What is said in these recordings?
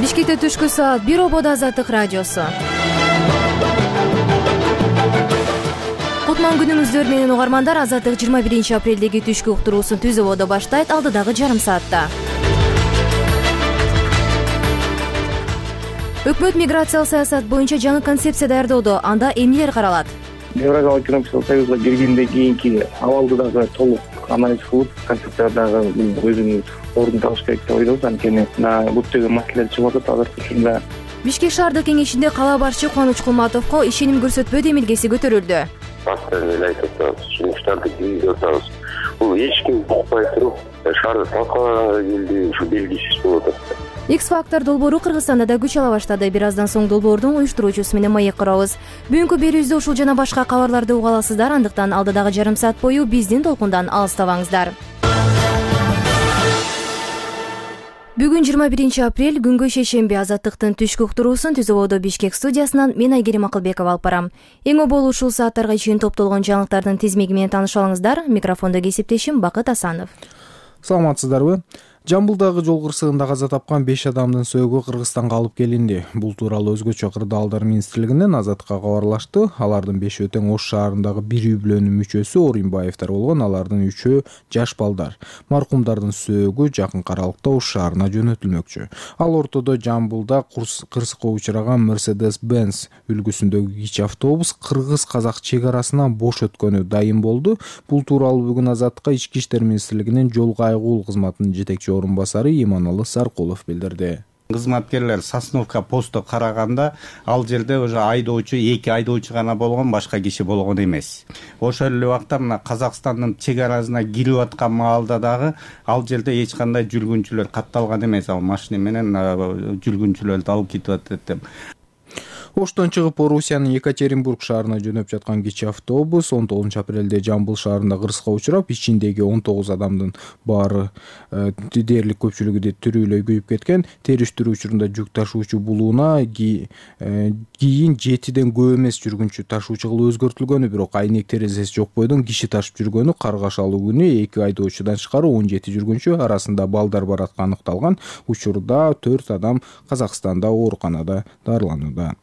Бишкекте түшкү саат 1 ободо Азаттык радиосу. Кутман күнүңүздөр менен угармандар. Азаттык 21 апрелдеги түшкү уктуруусун Түз ободо баштайт алдыдагы жарым саатта. Өкмөт миграциялык саясат боюнча жаңы концепция даярдоодо. Анда эмнелер каралат? Евразиялык экономикалык союзга киргенден кийинки абалды дагы толук анализ кылып, концепциядагы өзүнүн ордун табыш керек деп ойлойбуз. Анткени көптөгөн маселелер чыгып атат азыркы учурда. Бишкек шаардык кеңешинде кала башчы Кубаныч Кулматовго ишеним көрсөтпөө демилгеси көтөрүлдү. Эле айтып атабыз, жумуштарды киргизип атабыз. Бул эч ким укпай туруп, шаарды талкалаганга келди, ушу белгисиз болуп атат. X-Factor долбоору Кыргызстанда да күч ала баштады. Бир аздан соң долбоордун уюштуруучусу менен маек курабыз. Бүгүнкү берүүбүздө ушул жана башка кабарларды уга аласыздар. Андыктан алдыдагы жарым саат бою биздин толкундан алыстабаңыздар. Бүгүн 21 апрель, күнгө шейшемби. Азаттыктын түшкү уктуруусун Түз ободо Бишкек студиясынан мен Айгерим Акылбекова алып барам. Эң обол ушул сааттарга чейин топтолгон жаңылыктардын тизмеги менен таанышып алыңыздар. Микрофондо кесиптешим Бакыт Асанов. Саламатсыздарбы? Жамбылдагы жол кырсыгында каза тапкан 5 адамдын сөөгү Кыргызстанга алып келинди. Бул тууралуу өзгөчө кырдаалдар министрлигинен Азаттыкка кабарлашты. Алардын 5-өө тең Ош шаарындагы бир үй-бүлөнүн мүчөсү Оринбаевдер болгон. Алардын 3-өө жаш балдар. Маркумдардын сөөгү жакынкы аралыкта Ош шаарына жөнөтүлмөкчү. Ал ортодо Жамбылда кырсыкка учураган Mercedes-Benz үлгүсүндөгү кичи автобус кыргыз-казак чек арасынан бош өткөнү дайым болду. Бул тууралуу бүгүн Азаттыкка Ички иштер министрлигинин жол кайгуу кызматынын жетекчи орун басары Иманалы Саркулов билдирди. Кызматкерлер Сосновка посту караганда ал жерде уже айдоочу, 2 айдоочу гана болгон, башка киши болгон эмес. Ошол эле убакта мына Казакстандын чек арасына кирип аткан маалда дагы ал жерде эч кандай жүргүнчүлөр катталган эмес. Ал машина менен жүргүнчүлөрдү алып кетип атат деп. Оштон чыгып Орусиянын Екатеринбург шаарына жөнөп жаткан кичи автобус 19 апрелде Жамбыл шаарында кырсыкка учурап, ичиндеги 19 адамдын баары дээрлик көпчүлүгү тирүүлөй күйүп кеткен. Териштирүү учурунда жүк ташуучу булууна кийин 7ден көп эмес жүргүнчү ташуучу кылып өзгөртүлгөнү, бирок айнек терезеси жок бойдон киши ташып жүргөнү, каргашалуу күнү 2 айдоочудан тышкары 17 жүргүнчү арасында балдар бар атканы аныкталган. Учурда 4 адам Казакстанда ооруканада дарыланууда.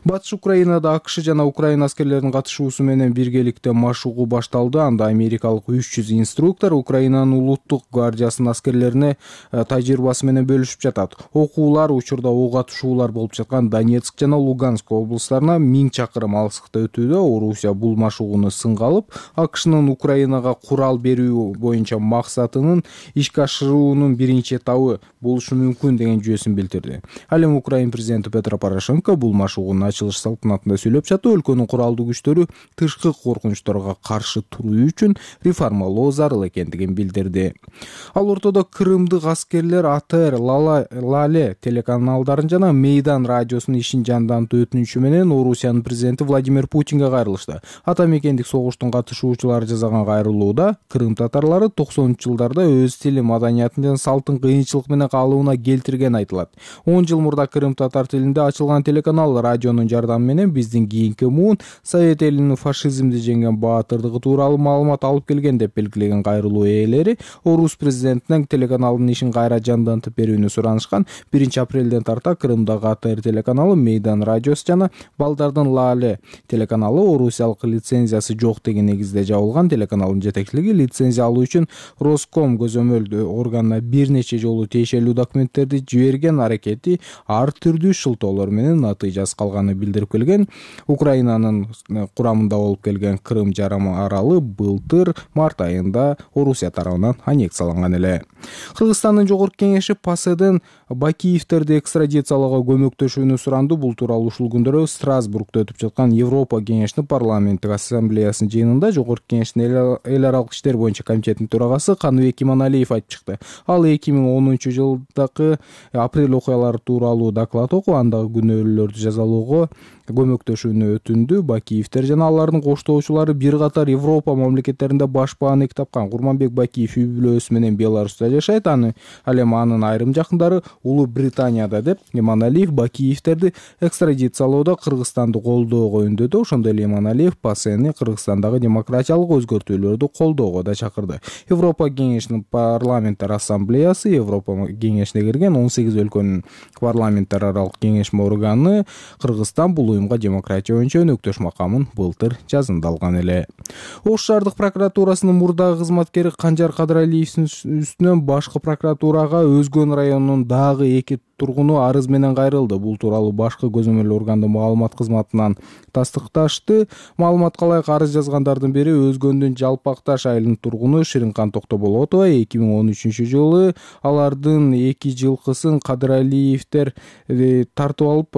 Батыш Украинада АКШ жана Украина аскерлеринин катышуусу менен биргеликте машыгуу башталды. Анда америкалык 300 инструктор Украинанын улуттук гвардиясынын аскерлерине тажрыйбасы менен бөлүшүп жатат. Окуулар учурда ок атышуулар болуп жаткан Донецк жана Луганск облустарына 1000 чакырым алыстыкта өтүүдө. Орусия бул машыгууну сынга алып, АКШнын Украинага курал берүү боюнча максатынын ишке ашыруунун биринчи этабы болушу мүмкүн деген жүйөсүн билдирди. Ал эми Украина президенти Петро Порошенко бул машыгуунун ачылыш салтанатында сөйлөп жатып, өлкөнүн куралдуу күчтөрү тышкы коркунучторго каршы туруу үчүн реформалоо зарыл экендигин билдирди. Ал ортодо крымдык аскерлер АТР, Лале телеканалдарын жана Мейдан радиосунун ишин жандантуу өтүнүчү менен Орусиянын президенти Владимир Путинге кайрылышты. Ата мекендик согуштун катышуучулары жасаган кайрылууда Крым татарлары 90-жылдарда өз тили, маданиятын жана салтын кыйынчылык менен калыбына келтиргени айтылат. 10 жыл мурда Крым татар тилинде ачылган телеканал радионун жардамы менен биздин кийинки муун Совет элинин фашизмди жеңген баатырдыгы тууралуу маалымат алып келген деп белгилеген кайрылуу ээлери орус президентинен телеканалдын ишин кайра жандантып берүүнү суранышкан. 1 апрелден тарта Крымдагы АТР телеканалы, Мейдан радиосу жана балдардын Лале телеканалы орусиялык лицензиясы жок деген негизде жабылган. Телеканалдын жетекчилиги лицензия алуу үчүн Роском көзөмөл органына бир нече жолу тиешелүү документтерди жиберген, аракети ар түрдүү шылтоолор менен натыйжасыз калганы билдирип келген. Украинанын курамында болуп келген Крым жарым аралы былтыр март айында Орусия тарабынан аннексияланган эле. Кыргызстандын жогорку кеңеши ПАСЕден Бакиевтерди экстрадициялоого көмөктөшүүнү суранды. Бул тууралуу ушул күндөрү Страсбургда өтүп жаткан Европа кеңешинин парламенттик ассамблеясынын жыйынында жогорку кеңештин эл аралык иштер боюнча комитетинин төрагасы Каныбек Иманалиев айтып чыкты. Ал 2010 жылдагы апрель окуялары тууралуу доклад окуп, андагы күнөөлөрдү жазалуу алууга көмөктөшүүнү өтүндү. Бакиевдер жана алардын коштоочулары бир катар Европа мамлекеттеринде баш бааны тапкан. Курманбек Бакиев үй бүлөсү менен Беларуста жашайт. Ал эми анын айрым жакындары Улуу Британияда деп Эманалиев Бакиевдерди экстрадициялоодо Кыргызстанды колдоого үндөдү. Ошондой эле Эманалиев ПАСЕни Кыргызстандагы демократиялык өзгөртүүлөрдү колдоого да чакырды. Европа кеңешинин парламенттер ассамблеясы Европа кеңешине кирген 18 өлкөнүн парламенттер аралык кеңешме органы Кыргызстан бул уюмга демократия боюнча өнөктөш макамын былтыр жазында алган эле. Ош шаардык прокуратурасынын мурдагы кызматкери Канжар Кадыралиевдин үстүнөн башкы прокуратурага Өзгөн районунун дагы 2 тургуну арыз менен кайрылды. Бул тууралуу башкы көзөмөл органдын маалымат кызматынан тастыкташты. Маалыматка ылайык арыз жазгандардын бири Өзгөндүн Жалпакташ айылынын тургуну Ширинкан Токтоболотова. 2013-жылы алардын 2 жылкысын Кадыралиевдер тартып алып,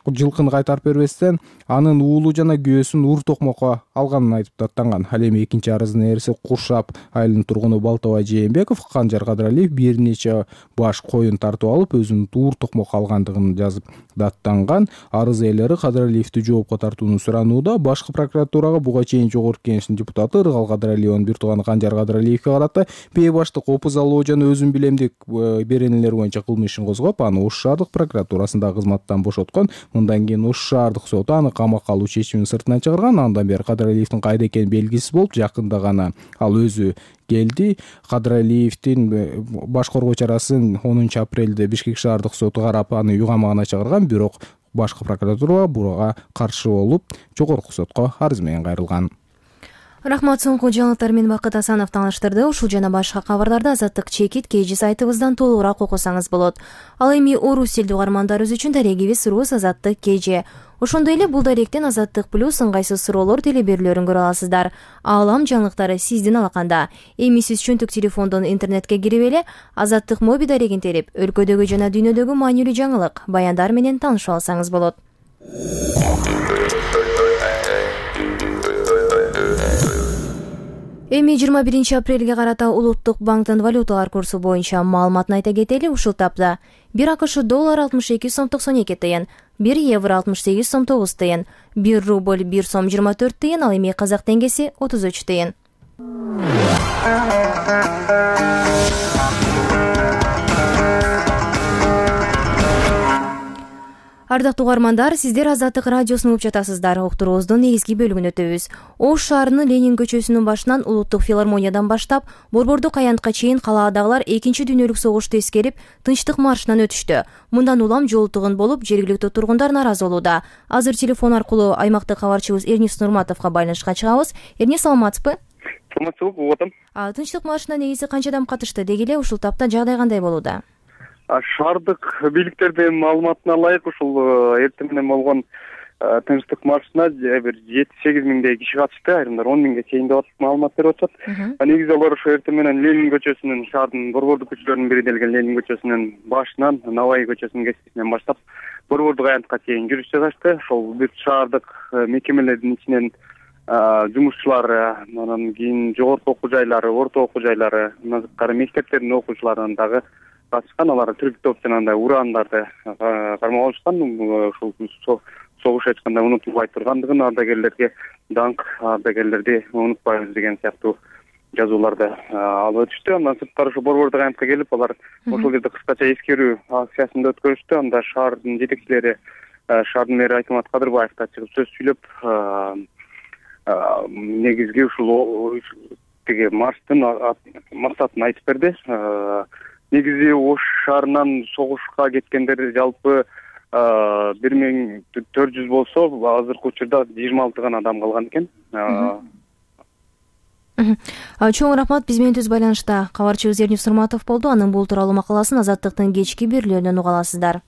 жылкыны кайтарып бербестен анын уулу жана күйөөсүн ур токмокко алганын айтып даттанган. Ал эми экинчи арыздын ээриси Куршап айылынын тургуну Балтабай Жээнбеков Канжар Кадыралиев бир нече баш коюн тартып алып, өзүнүн ур токмок алгандыгын жазып даттанган. Арыз ээлери Кадыралиевди жоопко тартууну суранууда. Башкы прокуратурага буга чейин Жогорку Кеңештин депутаты Ыргал Кадыралиевдин бир тууганы Канжар Кадыралиевге карата бейбаштык, опуз алуу жана өзүн билемдик беренелер боюнча кылмыш ишин козгоп, аны Ош шаардык прокуратурасында кызматтан бошоткон. Мындан кийин Ош шаардык соту аны камакка алуу чечимин сыртынан чыгарган. Андан бери Кадыралиевдин кайда экени белгисиз болуп, жакында гана ал өзү келди. Кадыралиевдин баш коргоо чарасын 10 апрелде Бишкек шаардык соту карап аны үй камагына чыгарган, бирок башкы прокуратура буга каршы болуп, жогорку сотко арыз менен кайрылган. Рахмат, соңку жаңылыктар менен Бакыт Асанов тааныштырды. Ушул жана башка кабарларды Азаттык чекит KG сайтыбыздан толугураак окусаңыз болот. Ал эми орус тилдүү угармандарыбыз үчүн дарегибиз Рус Азаттык KG. Ошондой эле бул даректен Азаттык плюс ыңгайсыз суроолор телеберүүлөрүн көрө аласыздар. Аалам жаңылыктары сиздин алаканда. Эми сиз чөнтүк телефондон интернетке кирип эле Азаттык моби дарегин терип, өлкөдөгү жана дүйнөдөгү маанилүү жаңылык, баяндар менен таанышып алсаңыз болот. Эми 21 апрелге карата Улуттук банктын валюталар курсу боюнча маалыматын айта кетели. Ушул тапта 1 АКШ доллар 62 сом 92 тыйын, 1 евро 68 сом 9 тыйын, 1 рубль 1 сом 24 тыйын, ал эми казак теңгеси 33 тыйын. Ардактуу угармандар, сиздер Азаттык радиосун угуп жатасыздар. Уктуруубуздун негизги бөлүгүн өтөбүз. Ош шаарынын Ленин көчөсүнүн башынан Улуттук филармониядан баштап, Борбордук аянтка чейин калаадагылар Экинчи дүйнөлүк согушту эскерип, тынчтык маршынан өтүштү. Мындан улам жол тугун болуп, жергиликтүү тургундар нааразы болууда. Азыр телефон аркылуу аймактык кабарчыбыз Эрнис Нурматовго байланышка чыгабыз. Эрнис, саламатсызбы? Саламатсызбы, угуп атам. Тынчтык маршына негизи канча адам катышты? Деги эле ушул тапта жагдай кандай болууда? Шаардык бийликтердин маалыматына ылайык ушул эртең менен болгон тынчтык маршына бир 7-8 миңдей киши катышты, айрымдар 10 миңге чейин деп маалымат берип атышат. Негизи алар ошо эртең менен Ленин көчөсүнүн, шаардын борбордук көчөлөрүнүн бири делген Ленин көчөсүнүн башынан Навай көчөсүнүн кесипинен баштап Борбордук аянтка чейин жүрүш жасашты. Ошол бүт шаардык мекемелердин ичинен жумушчулар, анан кийин жогорку окуу жайлары, орто окуу жайлары, назыккары мектептердин окуучуларынан дагы катышкан. Алар түрк топ жана андай урандарды кармап алышкан. Ушул согуш ачканда унутулбай тургандыгын, ардагерлерге даңк, ардагерлерди унутпайбыз деген сыяктуу жазууларды алып өтүштү. Андан сырткары ошо Борбордук аянтка келип, алар ошол жерде кыскача эскерүү акциясын өткөрүштү. Анда шаардын жетекчилери, шаардын мэри Айтмат Кадырбаев да чыгып сөз сүйлөп, негизги ушул тиги марштын максатын айтып берди. Негизи Ош шаарынан согушка кеткендер жалпы 1400 болсо, азыркы учурда 26 гана адам калган экен. Чоң рахмат, биз менен түз байланышта кабарчыбыз Эрнис Нурматов болду. Анын бул тууралуу макаласын Азаттыктын кечки берүүлөрүнөн уга аласыздар.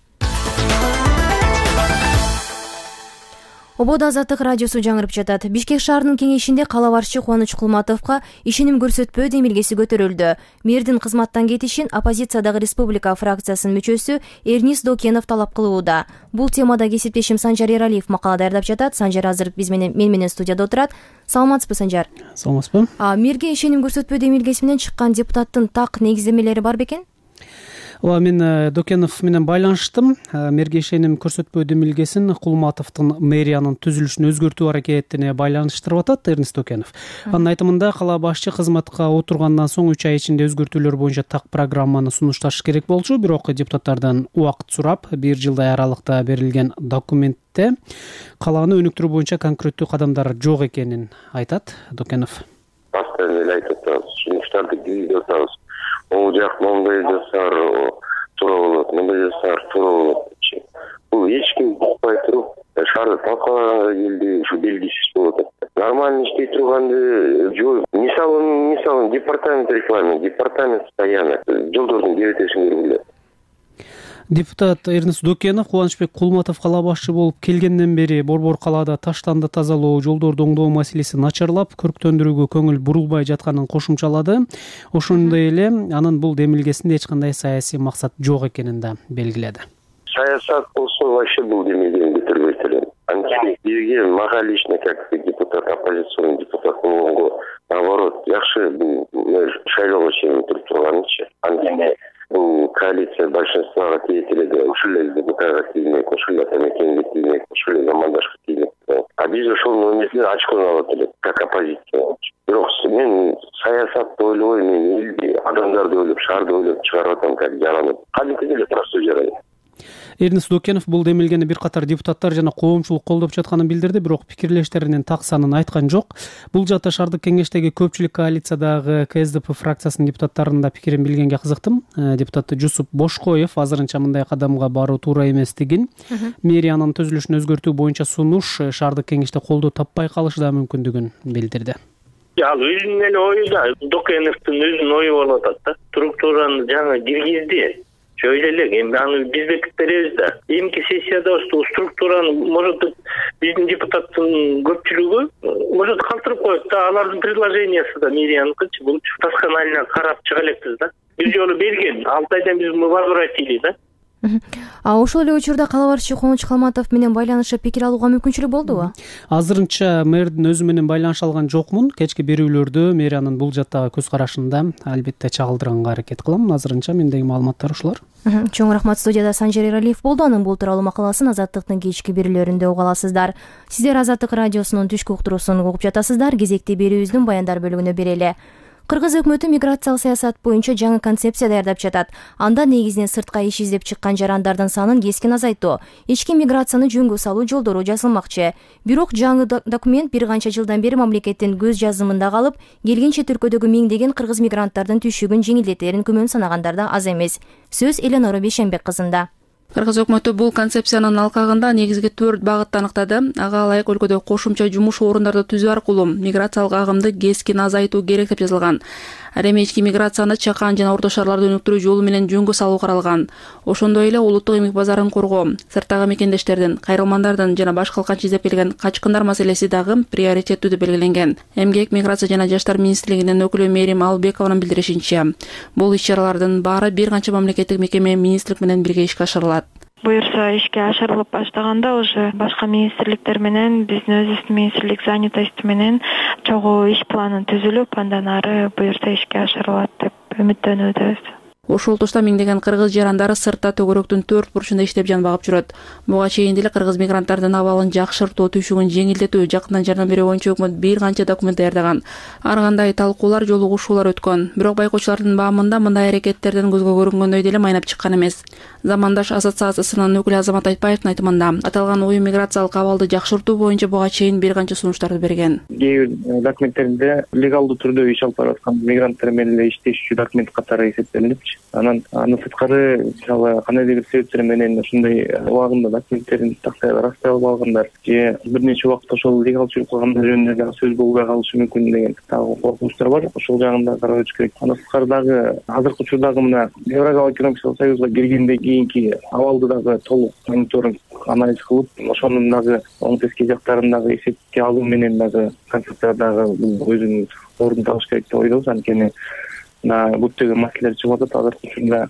Ободо Азаттык радиосу жаңырып жатат. Бишкек шаарынын кеңешинде кала башчы Кубаныч Кулматовго ишеним көрсөтпөө демилгеси көтөрүлдү. Мэрдин кызматтан кетишин оппозициядагы республика фракциясынын мүчөсү Эрнис Докенов талап кылууда. Бул темада кесиптешим Санжар Эралиев макала даярдап жатат. Санжар азыр мен менен студияда отурат. Саламатсызбы, Санжар? Саламатсызбы. Мэрге ишеним көрсөтпөө демилгеси менен чыккан депутаттын так негиздемелери бар бекен? Ооба, мен Докенов менен байланыштым. Мергешеним көрсөтпөө демилгесин Кулматовдун мэриянын түзүлүшүн өзгөртүү аракетине байланыштырып атат Эрнест Докенов. Анын айтымында кала башчы кызматка отургандан соң 3 ай ичинде өзгөртүүлөр боюнча так программаны сунушташ керек болчу, бирок депутаттардан убакыт сурап 1 жылдай аралыкта берилген документте калааны өнүктүрүү боюнча конкреттүү кадамдар жок экенин айтат Докенов. Постоянно эле айтып атабыз, сунуштарды киргизип атабыз. Ол жак моундай жасаар туура болот, мындай жасаар туура болот. Бул эч ким укпай туруп шаарды талкалаганга келди, ушу белгисиз болуп атат. Нормально иштей турганды жок. Мисалы департамент реклама, департамент стоянок, жолдордун кебетесин көргүлө. Депутат Эрнест Докенов Кубанычбек Кулматов кала башчы болуп келгенден бери Борбор калаада таштанды тазалоо, жолдорду оңдоо маселеси начарлап, көрктөндүрүүгө көңүл бурулбай жатканын кошумчалады. Ошондой эле анын бул демилгесинде эч кандай саясий максат жок экенин да белгиледи. Саясат болсо вообще бул демилгени бүтүрбөйт элем. Анткени бизге мага лично как депутат, оппозиционный депутат болгонго наоборот жакшы бул шайлоого чейин туруп турганычы. Анткени бул коалиция большинствого тийет эле, ушул эле депутатка тиймек, ушул эле атамекенге тиймек, ушул эле замандашка тиймек. А биз ошол эмесин ачкын алып элек, как оппозиция. Бирок мен саясатты ойлобой, мен элди, адамдарды ойлоп, шаарды ойлоп чыгарып атам, как жаранып. Кадимкидей эле просто жарайт. Эрнест Докенов бул демилгени бир катар депутаттар жана коомчулук колдоп жатканын билдирди, бирок пикирлештеринин так санын айткан жок. Бул жакта шаардык кеңештеги көпчүлүк коалициядагы КСДП фракциясынын депутаттарынын да пикирин билгенге кызыктым. Депутат Жусуп Бошкоев азырынча мындай кадамга баруу туура эместигин, мэриянын түзүлүшүн өзгөртүү боюнча сунуш шаардык кеңеште колдоо таппай калышы да мүмкүндүгүн билдирди. Ал өзүнүн эле ою да, Докеновдун өзүнүн ою болуп атат да. Структураны жаңы киргизди. Şöyle эми аны биз бекитип беребиз да. Эмки сессияда ушул структураны может биздин депутаттын көпчүлүгү может калтырып коет да, алардын предложениясы да мэрияныкычы бул досконально карап чыга элекпиз да. Бир жолу берген, 6 айдан биз возвратили да. Ошол эле учурда кала башчы Кубаныч Калматов менен байланышып пикир алууга мүмкүнчүлүк болдубу? Азырынча мэрдин өзү менен байланыша алган жокмун. Кечки берүүлөрдө мэриянын бул жактагы көз карашында албетте чагылдырганга аракет кылам. Азырынча мендеги маалыматтар ушулар. Чоң рахмат. Студияда Санжар Эралиев болду. Анын бул тууралуу макаласын Азаттыктын кечки берүүлөрүндө уга аласыздар. Сиздер Азаттык радиосунун түшкү уктуруусун угуп жатасыздар. Кезекти берүүбүздүн баяндар бөлүгүнө берели. Кыргыз өкмөтү миграциялык саясат боюнча жаңы концепция даярдап жатат. Анда негизинен сыртка иш издеп чыккан жарандардын санын кескин азайтуу, ички миграцияны жөнгө салуу жолдору жазылмакчы. Бирок жаңы документ бир канча жылдан бери мамлекеттин көз жазымында калып, келген чет өлкөдөгү миңдеген кыргыз мигранттардын түшүгүн жеңилдетерин күмөн санагандар да аз эмес. Сөз Эленора Бейшенбек кызында. Кыргыз өкмөтү бул концепциянын алкагында негизги 4 багытты аныктады. Ага ылайык өлкөдө кошумча жумуш орундарды түзүү аркылуу миграциялык агымды кескин азайтуу керек деп жазылган. Ал эми ички миграцияны чакан жана орто шаарларды өнүктүрүү жолу менен жөнгө салуу каралган. Ошондой эле улуттук эмгек базарын коргоо, сырттагы мекендештердин, кайрылмандардын жана башка калканча издеп келген качкындар маселеси дагы приоритеттүү деп белгиленген. Эмгек, миграция жана жаштар министрлигинин өкүлү Мерим Албекованын билдиришинче, бул иш-чаралардын баары бир канча мамлекеттик мекеме, министрлик менен бирге ишке ашырылат. Буюрса ишке ашырылып баштаганда уже башка министрликтер менен биздин өзүбүздүн министрлик занятость менен чогуу иш планын түзүлүп, андан ары буюрса ишке ашырылат деп үмүттөнүүдөбүз. Ошол тушта миңдеген кыргыз жарандары сыртта төгөрөктүн 4 бурчунда иштеп жан багып жүрөт. Буга чейин деле кыргыз мигранттардын абалын жакшыртуу, түшүгүн жеңилдетүү, жакындан жардам берүү боюнча өкмөт бир канча документ даярдаган. Ар кандай талкуулар, жолугушуулар өткөн. Бирок байкоочулардын баамында мындай аракеттерден көзгө көрүнгөндөй деле майнап чыккан эмес. Замандаш ассоциациясынын өкүлү Азамат Айтбаевдин айтымында, аталган уюм миграциялык абалды жакшыртуу боюнча буга чейин бир канча сунуштарды берген. Кээ бир документтеринде легалдуу түрдө иш алып бараткан мигранттар менен эле иштешчү документ катары эсептелинипчи. Анан сырткары мисалы кандайдыр бир себептер менен ушундай убагында документтерин тактай растай албай алгандар же бир нече убакыт ошол легал жүрүп калгандар жөнүндө дагы сөз болбой калышы мүмкүн деген дагы коркунучтар бар. Ошол жагын да карап өтүш керек. Андан сырткары дагы азыркы учурдагы мына Евразиялык экономикалык союзга киргенден кийинки абалды дагы толук мониторинг анализ кылып, ошонун дагы оң терс жактарын дагы эсепке алуу менен дагы концепция дагы өзүнүн ордун табыш керек деп ойлойбуз. Анткени көптөгөн маселелер чыгып атат. Азыркы учурда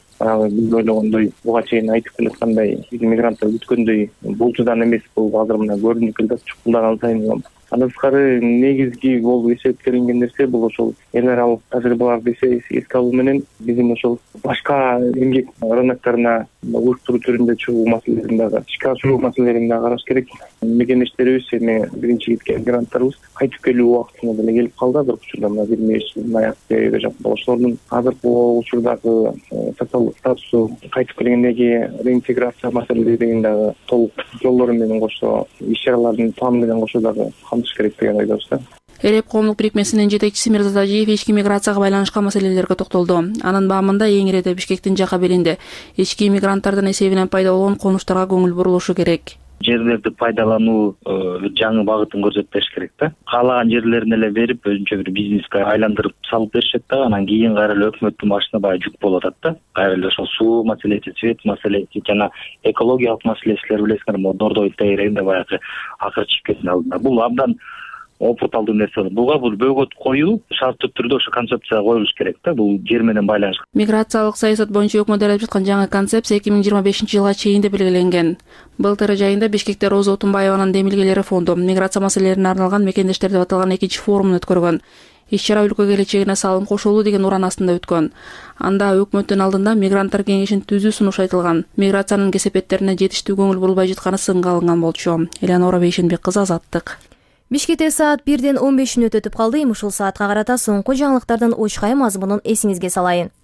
биз ойлогондой, буга чейин айтып келаткандай мигранттар күткөндөй булчудан эмес, бул азыр мына көрүнүп келатат. Чукулдаган сайын Андан тышкары негизги болуп эсептелинген нерсе бул ошол эл аралык тажрыйбаларды эске алуу менен биздин ошол башка эмгек рыноктарына уюштуруу түрүндө чыгуу маселелерин дагы ишке ашыруу маселелерин дагы караш керек. Мекендештерибиз эми биринчи кеткен гранттарыбыз кайтып келүү убактына деле келип калды. Азыркы учурда мына 25 аяк жакында ошолордун азыркы учурдагы социалдык статусу, кайтып келгендеги реинтеграция маселелери деген дагы толук жолдору менен кошо иш-чаралардын планы менен кошо дагы камтыш керек деген ойдобуз да. РФ коомдук бирикмесинин жетекчиси Мирзат Ажиев ички миграцияга байланышкан маселелерге токтолду. Анын баамында эң иреде Бишкектин жак кабелинде ички мигранттардын эсебинен пайда болгон конуштарга көңүл бурулушу керек. Жерлерди пайдалануу жаңы багытын көрсөтүш керек да. Каалаган жерлерин эле берип, өзүнчө бир бизнеске айландырып салып беришет да. Анан кийин кайра эле өкмөттүн башына баягы жүк болуп атат да. Кайра эле ошол суу маселеси, свет маселеси жана экологиялык маселелер билесиңер, могу Дордой тегерегинде баягы акыр чыгып кеткен алдында. Бул абдан опурталдуу нерсе. Буга бул бөгөт коюу шарттуу түрдө ошо концепция коюлуш керек да. Бул жер менен байланышкан. Миграциялык саясат боюнча өкмөт даярдап жаткан жаңы концепция 2025-жылга чейин деп белгиленген. Былтыр айында Бишкекте Роза Отунбаеванын демилгелери фонду миграция маселелерине арналган мекендештер деп аталган экинчи форумун өткөргөн. Иш-чара өлкө келечегине салым кошулуу деген уран астында өткөн. Анда өкмөттүн алдында мигранттар кеңешин түзүү сунуш айтылган. Миграциянын кесепеттерине жетиштүү көңүл бурулбай жатканы сынга алынган болчу. Элеонора Бейшенбек кызы, Азаттык. Бишкекте саат 1-ден 15 мүнөт өтүп калды. Ушул саатка карата соңку жаңылыктардын очкай мазмунун эсиңизге салайын.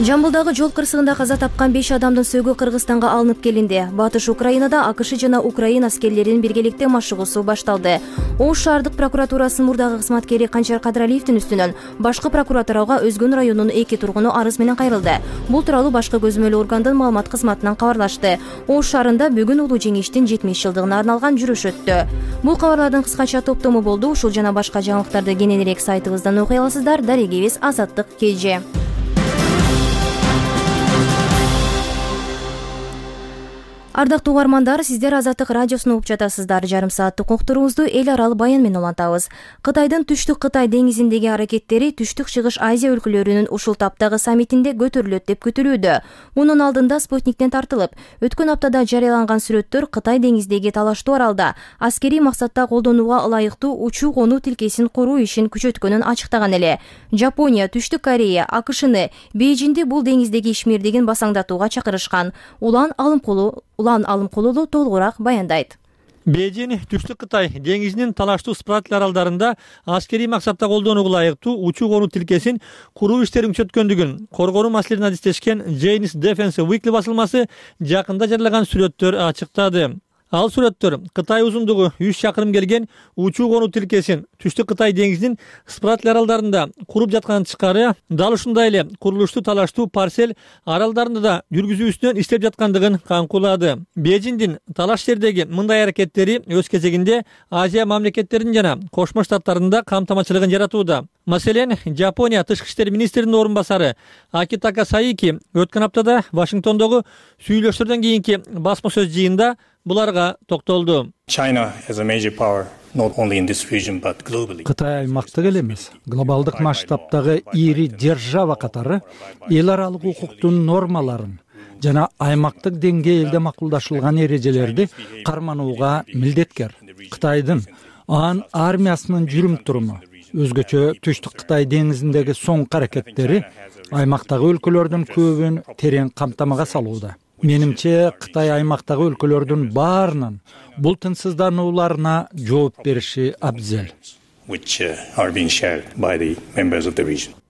Жамбылдагы жол кырсыгында каза тапкан 5 адамдын сөөгү Кыргызстанга алынып келинди. Батыш Украинада АКШ жана Украина аскерлеринин биргеликте машыгуусу башталды. Ош шаардык прокуратурасынын мурдагы кызматкери Канчар Кадыралиевдин үстүнөн башкы прокуратурага Өзгөн районунун 2 тургуну арыз менен кайрылды. Бул тууралуу башкы көзөмөл органдын маалымат кызматынан кабарлашты. Ош шаарында бүгүн улуу жеңиштин 70-жылдыгына арналган жүрүш өттү. Бул кабарлардын кыскача топтому болду. Ушул жана башка жаңылыктарды кененирээк сайтыбыздан окуй аласыздар. Дарегибиз Азаттык КЖ. Ардактуу угармандар, сиздер Азаттык радиосун угуп жатасыздар. Жарым сааттык уктуруубузду эл аралык баян менен улантабыз. Кытайдын түштүк Кытай деңизиндеги аракеттери Түштүк Чыгыш Азия өлкөлөрүнүн ушул таптагы саммитинде көтөрүлөт деп күтүлүүдө. Мунун алдында Спутниктен тартылып, өткөн аптада жарыяланган сүрөттөр Кытай деңиздеги талаштуу аралда аскерий максатта колдонууга ылайыктуу учуу конуу тилкесин куруу ишин күчөткөнүн ачыктаган эле. Жапония, Түштүк Корея, АКШны Бейжиңди бул деңиздеги ишмердигин басаңдатууга чакырышкан. Улан Алымкулулу толугураак баяндайт. Бейжиң Түштүк Кытай деңизинин талаштуу спраттл аралдарында аскерий максатта колдонууга ылайыктуу учуу конуу тилкесин куруу иштерин күчөткөндүгүн коргонуу маселелерин адистешкен Jane's Defense Weekly басылмасы жакында жарыялаган сүрөттөр ачыктады. Ал сүрөттөр Кытай узундугу 3 чакырым келген учуу конуу тилкесин Түштүк Кытай деңизинин спраттл аралдарында куруп жатканын тышкары, дал ушундай эле курулуштуу талаштуу парсель аралдарында да жүргүзүүсүнөн иштеп жаткандыгын камкулады. Бейжиңдин талаш жердеги мындай аракеттери өз кезегинде Азия мамлекеттеринин жана Кошмо Штаттарында камтамачылыгын жаратууда. Маселен, Жапония тышкы иштер министринин орун басары Акитака Саики өткөн аптада Вашингтондогу сүйлөшүүлөрдөн кийинки басма сөз жыйында буларга токтолду. Кытай аймактык эле эмес, глобалдык масштабтагы ири держава катары эл аралык укуктун нормаларын жана аймактык деңгээлде макулдашылган эрежелерди карманууга милдеткер. Кытайдын анын армиясынын жүрүм-туруму, өзгөчө Түштүк Кытай деңизиндеги соңку аракеттери аймактагы өлкөлөрдүн көбүн терең камтамага салууда. Менимче Кытай аймактагы өлкөлөрдүн баарынын бул тынчсызданууларына жооп бериши абзел.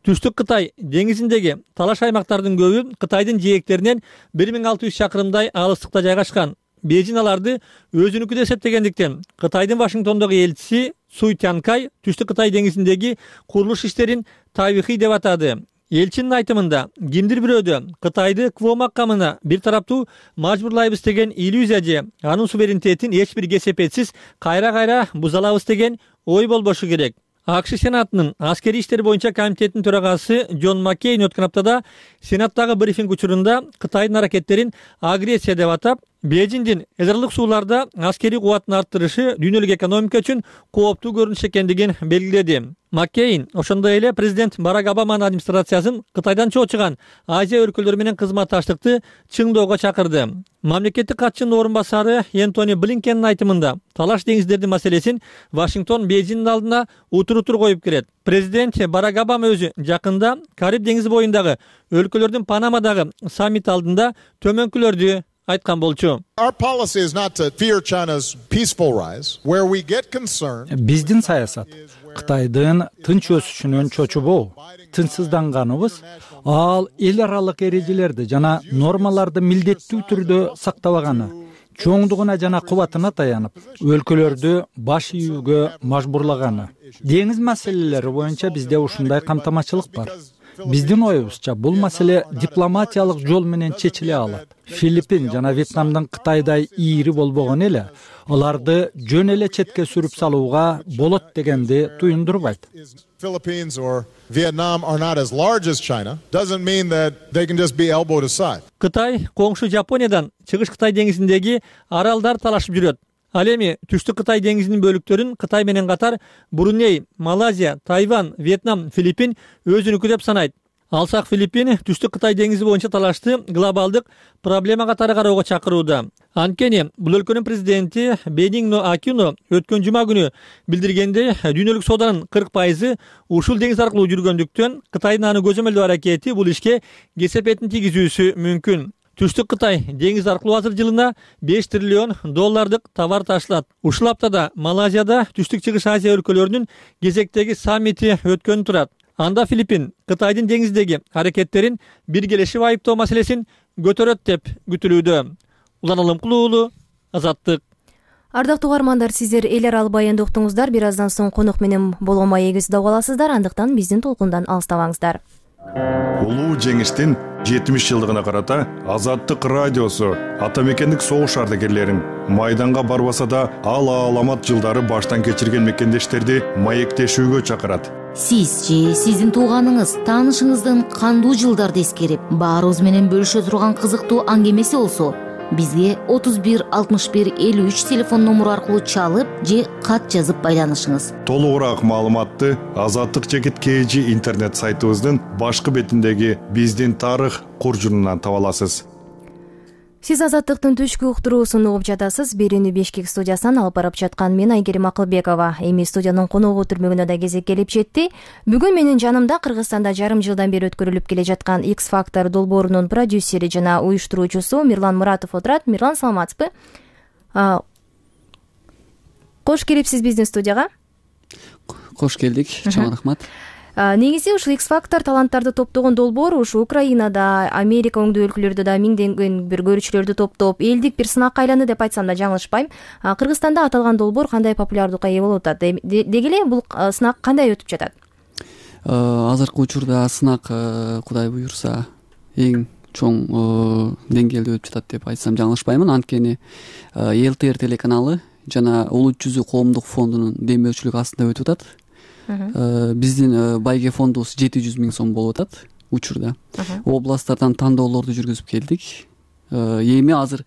Түштүк Кытай деңизиндеги талаш аймактардын көбү Кытайдын жээктеринен 1600 чакырымдай алыстыкта жайгашкан. Бейжиң аларды өзүнүкү деп эсептегендиктен Кытайдын Вашингтондогу элчиси Суй Тянкай Түштүк Кытай деңизиндеги курулуш иштерин табигый деп атады. Элчинин айтымында, кимдир бирөөдө Кытайды кво макамына бир тараптуу мажбурлайбыз деген иллюзия же анын суверенитетин эч бир кесепетсиз кайра бузалабыз деген ой болбошу керек. АКШ Сенатынын аскерий иштер боюнча комитетинин төрагасы Джон Маккейн өткөн аптада Сенаттагы брифинг учурунда Кытайдын аракеттерин агрессия деп атап, Бейжиңдин Эзерлик сууларда аскерий кубатын арттырышы дүйнөлүк экономика үчүн кооптуу көрүнүш экендигин белгиледи. Маккейн ошондой эле президент Барак Обаманын администрациясын Кытайдан чоочуган Азия өлкөлөрү менен кызматташтыкты чыңдоого чакырды. Мамлекеттик катчынын орун басары Энтони Блинкендин айтымында талаш деңиздердин маселесин Вашингтон Бейжиңдин алдына утур коюп келет. Президент Барак Обама өзү жакында Кариб деңизи боюндагы өлкөлөрдүн Панамадагы саммит алдында төмөнкүлөрдү айткан болчу. Биздин саясат Кытайдын тынч өсүшүнөн чочубоо, тынчсызданганыбыз ал эл аралык эрежелерди жана нормаларды милдеттүү түрдө сактабаганы, чоңдугуна жана кубатына таянып, өлкөлөрдү баш ийүүгө мажбурлаганы. Деңиз маселелери боюнча бизде ушундай камтамачылык бар. Биздин оюбузча бул маселе дипломатиялык жол менен чечиле алат. Филиппин жана Вьетнамдын Кытайдай ийри болбогон эле аларды жөн эле четке сүрүп салууга болот дегенди туюндурбайт. Кытай коңшу Жапониядан Чыгыш Кытай деңизиндеги аралдар талашып жүрөт. Ал эми Түштүк Кытай деңизинин бөлүктөрүн Кытай менен катар Бруней, Малайзия, Тайвань, Вьетнам, Филиппин өзүнүкү деп санайт. Алсак Филиппин Түштүк Кытай деңизи боюнча талашты глобалдык проблема катары кароого чакырууда. Анткени бул өлкөнүн президенти Бенигно Акино өткөн жума күнү билдиргендей, дүйнөлүк сооданын 40% ушул деңиз аркылуу жүргөндүктөн Кытайдын аны көзөмөлдөө аракети бул ишке кесепетин тийгизүүсү мүмкүн. Түштүк Кытай деңиз аркылуу азыр жылына $5 триллион товар ташылат. Ушул аптада Малайзияда Түштүк Чыгыш Азия өлкөлөрүнүн кезектеги саммити өткөн турат. Анда Филиппин Кытайдын деңиздеги аракеттерин биргелешип айыптоо маселесин көтөрөт деп күтүлүүдө. Улан Алымкул уулу, Азаттык. Ардактуу угармандар, сиздер эл аралык баянды уктуңуздар. Бир аздан соң конок менен болгон маегибизди угуп аласыздар. Андыктан биздин толкундан алыстабаңыздар. Улуу жеңиштин 70 жылдыгына карата Азаттык радиосу ата мекендик согуш ардагерлерин майданга барбаса да ал аламат жылдары баштан кечирген мекендештерди маектешүүгө чакырат. Сиз же сиздин тууганыңыз, таанышыңыздын кандуу жылдарды эскерип, баарыбыз менен бөлүшө турган кызыктуу аңгемеси болсо, бизге 31 61 53 телефон номуру аркылуу чалып же кат жазып байланышыңыз. Толугураак маалыматты Азаттык /KG интернет сайтыбыздын башкы бетиндеги биздин тарых куржунунан таба аласыз. Сиз Азаттыктын түшкү уктуруусун угуп жатасыз. Берүүнү Бишкек студиясынан алып барып жаткан мен Айгерим Акылбекова. Эми студиянын коногу түрмөгүнө да кезек келип жетти. Бүгүн менин жанымда Кыргызстанда жарым жылдан бери өткөрүлүп келе жаткан X-Factor долбоорунун продюсери жана уюштуруучусу Мирлан Муратов отурат. Мирлан, саламатсызбы? Кош келипсиз биздин студияга. Кош келдик. Чоң рахмат. Негизи ушул X-Factor таланттарды топтогон долбоор ушу Украинада, Америка оңдуу өлкөлөрдө да миңдеген бир көрүүчүлөрдү топтоп, элдик бир сынакка айланды деп айтсам да жаңылышпайм. Кыргызстанда аталган долбоор кандай популярдуулукка ээ болуп атат? Деги эле бул сынак кандай өтүп жатат? Азыркы учурда сынак, Кудай буюрса, эң чоң деңгээлде өтүп жатат деп айтсам жаңылышпаймын. Анткени ЛТР телеканалы жана Улут жүзү коомдук фондунун демөөрчүлүгү астында өтүп атат. Биздин байге фондубуз 700 000 сом болуп атат учурда. Областтардан тандоолорду жүргүзүп келдик. Эми азыр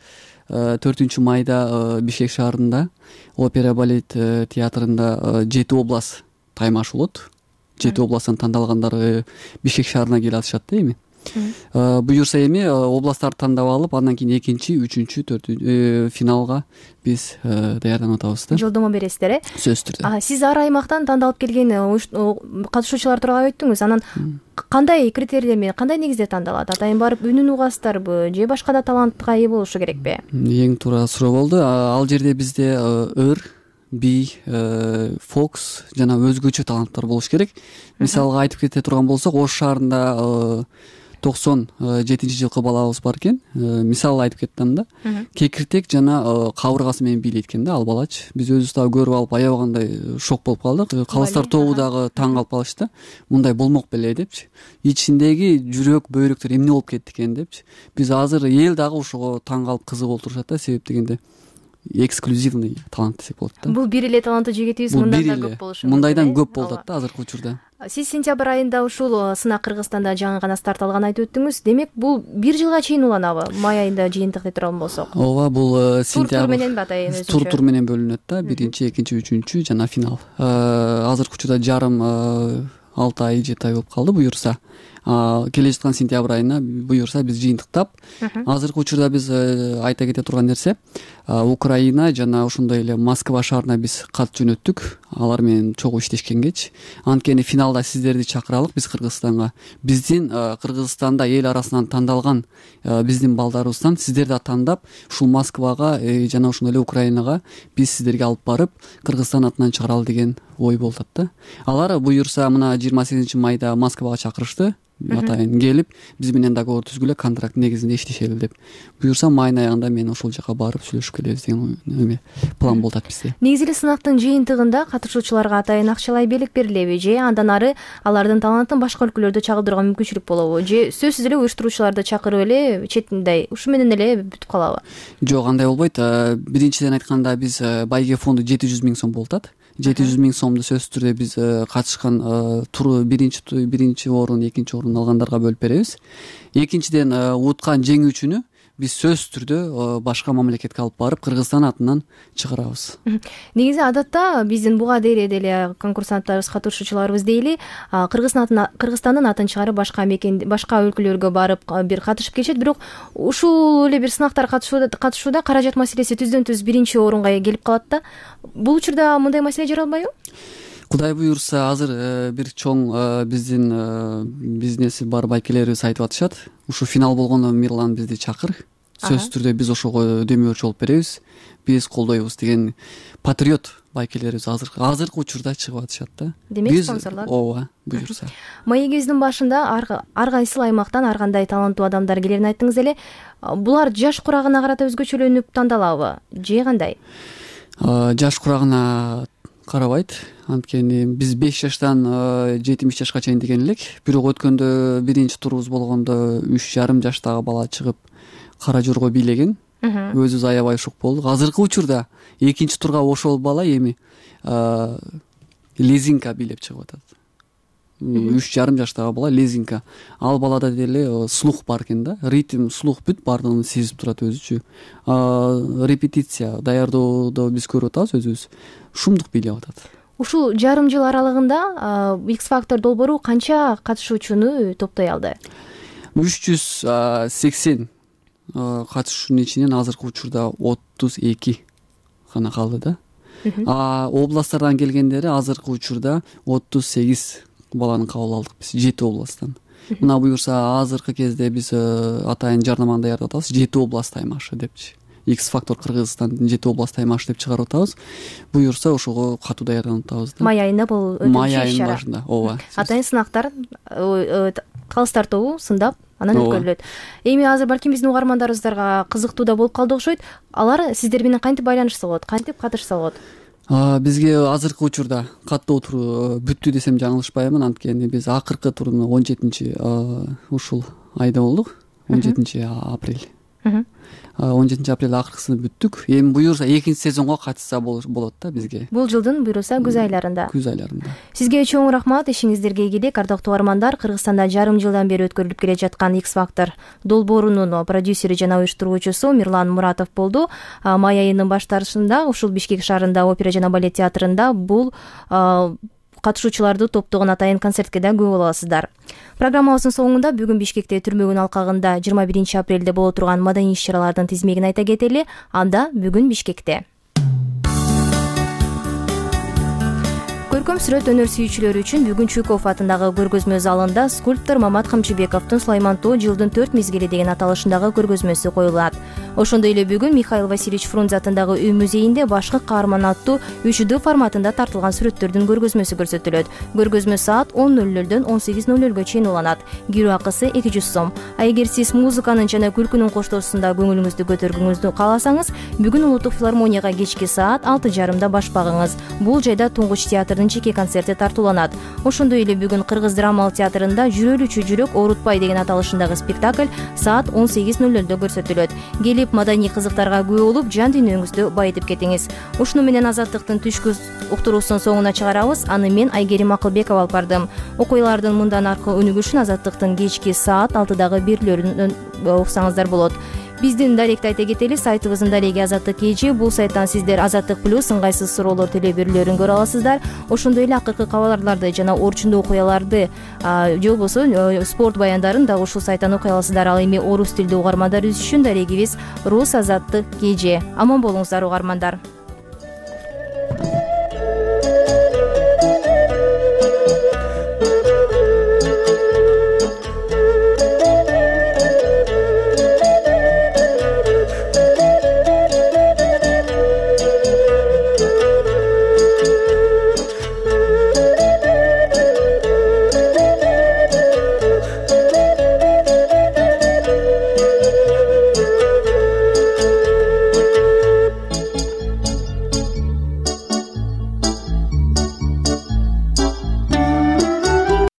4 майда Бишкек шаарында опера балет театрында 7 област таймаш болот. 7 областтан тандалгандар Бишкек шаарына келе атышат да эми. Буюрса эми областтарды тандап алып, андан кийин 2-, 3-, 4 финалга биз даярданып атабыз да. Жолдомо бересиздер, Сөзсүз түрдө. Сиз ар аймактан тандалып келген катышуучулар тууралуу айттыңыз. Анан кандай критерийлер менен, кандай негизде тандалат? Атайын барып үнүн угасыздарбы же башка да талантка ээ болушу керекпи? Эң туура суроо болду. Ал жерде бизде ыр, би, фокс жана өзгөчө таланттар болуш керек. Мисалга айтып кете турган болсок, Ош шаарында 97-жылкы балабыз бар экен. Мисал айтып кеттим да. Кекиртек жана кабыргасы менен бийлейт экен да ал балач. Биз өзүбүз дагы көрүп алып аябагандай шок болуп калдык. Калыстар тобу дагы таң калып калышты. Мындай болмок беле депчи. Ичиндеги жүрөк, бөйрөктөр эмне болуп кетти экен депчи. Биз азыр эл дагы ошого таң калып кызыгып отурушат да, себеп дегенде эксклюзивный талант десек болот да. Бул бир эле таланттуу жигитибиз мындан да көп болушу мүмкүн. Мындайдан көп болуп атат да азыркы учурда. Сиз сентябрь айында ушул сынак Кыргызстанда жаңы гана старт алганын айтып өттүңүз. Демек бул бир жылга чейин уланабы? Май айында жыйынтык деп турган болсок. Ооба, бул сентябрь менен атайын өзүнчө. Тур менен бөлүнөт да. Биринчи, экинчи, үчүнчү жана финал. Азыркы учурда жарым 6 ай 7 ай болуп калды буюрса. Келе жаткан сентябрь айына буюрса биз жыйынтыктап, азыркы учурда биз айта кете турган нерсе, Украина жана ошондой эле Москва шаарына биз кат жөнөттүк. Алар менен чогуу иштешкенгечи. Анткени финалда сиздерди чакыралык биз Кыргызстанга. Биздин Кыргызстанда эл арасынан тандалган биздин балдарыбыздан сиздерди тандап, ушул Москвага жана ошондой эле Украинага биз сиздерге алып барып, Кыргызстан атынан чыгаралы деген ой болуп атат да. Алар буюрса мына 28 майда Москвага чакырышты. Атайын келип, биз менен договор түзгүлө, контракт негизинде иштешели деп. Буюрса майдын аягында мен ошол жака барып сүйлөшүп келебиз деген план болуп атат бизде. Негизи эле сынактын жыйынтыгында катышуучуларга атайын акчалай белек берилеби же андан ары алардын талантын башка өлкөлөрдө чагылдырууга мүмкүнчүлүк болобу? Же сөзсүз эле уюштуруучуларды чакырып эле четинде ушу менен эле бүтүп калабы? Жок, андай болбойт. Биринчиден айтканда биз байге фонду 700 000 сом болуп атат. 700 000 сомду сөзсүз түрдө биз катышкан туру биринчи орун, экинчи орун алгандарга бөлүп беребиз. Экинчиден уткан жеңүүчүнү биз сөзсүз түрдө башка мамлекетке алып барып Кыргызстан атынан чыгарабыз. Негизи адатта биздин буга дейре деле конкурсанттарыбыз, катышуучуларыбыз дейли, Кыргызстандын атын чыгарып башка өлкөлөргө барып бир катышып келишет, бирок ушул эле бир сынактар катышууда каражат маселеси түздөн-түз биринчи орунга келип калат да. Бул учурда мындай маселе жаралбайбы? Кудай буюрса, азыр бир чоң биздин бизнеси бар байкелерибиз айтып атышат. Ушу финал болгондо Мирлан бизди чакыр. Сөзсүз түрдө биз ошого дөмөрчү болуп беребиз. Биз колдойбуз деген патриот байкелерибиз азыркы учурда чыгып атышат да. Демек спонсорлор. Ооба, буюрса. Маегибиздин башында ар кайсыл аймактан ар кандай таланттуу адамдар келерин айттыңыз эле. Булар жаш курагына карата өзгөчөлөнүп тандалабы же кандай? Жаш курагына карабайт. Анткени биз 5 жаштан 70 жашка чейин деген элек. Бирок өткөндө биринчи турубуз болгондо 3,5 жаштагы бала чыгып кара жорго бийлеген. Өзүбүз аябай шок болдук. Азыркы учурда экинчи турга ошол бала эми лезинка бийлеп чыгып атат. 3,5 жаштагы бала лезинка. Ал балада деле слух бар экен да. Ритм, слух бүт бардыгын сезип турат өзүчү. Репетиция, даярдоодо биз көрүп атабыз өзүбүз. Шумдук бийлеп атат. Ушул жарым жыл аралыгында X Factor долбоору канча катышуучуну топтой алды? 380 катышуучунун ичинен азыркы учурда 32 гана калды да. Областтардан келгендери азыркы учурда 38 баланы кабыл алдык биз 7 областтан. Мына буюрса азыркы кезде биз атайын жарнаманы даярдап атабыз. 7 област аймашы депчи. X Factor Кыргызстандын 7 област аймашы деп чыгарып атабыз. Буюрса ошого катуу даярданып атабыз да. Май айында бул өтүнчү иш-чара. Май айынын башында, ооба. Атайын сынактар калыстар тобу сындап анан өткөрүлөт. Эми азыр балким биздин угармандарыбыздарга кызыктуу да болуп калды окшойт. Алар сиздер менен кантип байланышса болот, кантип катышса болот? Бизге азыркы учурда каттоо туру бүттү десем жаңылышпаймын. Анткени биз акыркы турну 17 ушул айда болдук. 17 апрель. 17 апрель акыркысын бүттүк. Эми буюрса экинчи сезонго катышса болот да бизге. Бул жылдын буюрса күз айларында. Күз айларында. Сизге чоң рахмат, ишиңиздерге ийгилик. Ардактуу угармандар, Кыргызстанда жарым жылдан бери өткөрүлүп келе жаткан X Factor долбоорунун продюсери жана уюштуруучусу Мирлан Муратов болду. Май айынын баштарында ушул Бишкек шаарында опера жана балет театрында бул катышуучуларды топтогон атайын концертке да күбө боло аласыздар. Программабыздын соңунда бүгүн Бишкекте түрмөгүн алкагында 21 апрелде боло турган маданий иш-чаралардын тизмегин айта кетели. Анда бүгүн Бишкекте көркөм сүрөт өнөр сүйүүчүлөрү үчүн бүгүн Чуйков атындагы көргөзмө залында скульптор Мамат Камчыбековдун Сулаймантоо жылдын 4 мезгили деген аталышындагы көргөзмөсү коюлат. Ошондой эле бүгүн Михаил Васильевич Фрунзе атындагы үй музейинде башкы каарман аттуу 3D форматында тартылган сүрөттөрдүн көргөзмөсү көрсөтүлөт. Көргөзмө саат 10:00дөн 18:00га чейин уланат. Кирүү акысы 200 сом. А эгер сиз музыканын жана күлкүнүн коштоосунда көңүлүңүздү көтөргүңүздү кааласаңыз, бүгүн Улуттук филармонияга кечки саат 6:30 баш багыңыз. Бул жайда Туңгуч театрдын жеке концерти тартууланат. Ошондой эле бүгүн Кыргыз драмалык театрында Жүрөлүчү жүрөк оорутпай деген аталышындагы спектакль саат 18:00 көрсөтүлөт. Келип билип маданий кызыктарга күбө болуп жан дүйнөңүздү байытып кетиңиз. Ушуну менен Азаттыктын түшкү уктуруусунун соңуна чыгарабыз. Аны мен Айгерим Акылбекова алып бардым. Окуялардын мындан аркы өнүгүшүн Азаттыктын кечки саат 6дагы берүүлөрүнөн уксаңыздар болот. Биздин даректи айта кетели, сайтыбыздын дареги Азаттык KG. Бул сайттан сиздер Азаттык плюс ыңгайсыз суроолор теле берүүлөрүн көрө аласыздар. Ошондой эле акыркы кабарларды жана орчундуу окуяларды же болбосо спорт баяндарын дагы ушул сайттан окуй аласыздар. Ал эми орус тилдүү угармандар үчүн дарегибиз Рус Азаттык KG. Аман болуңуздар угармандар.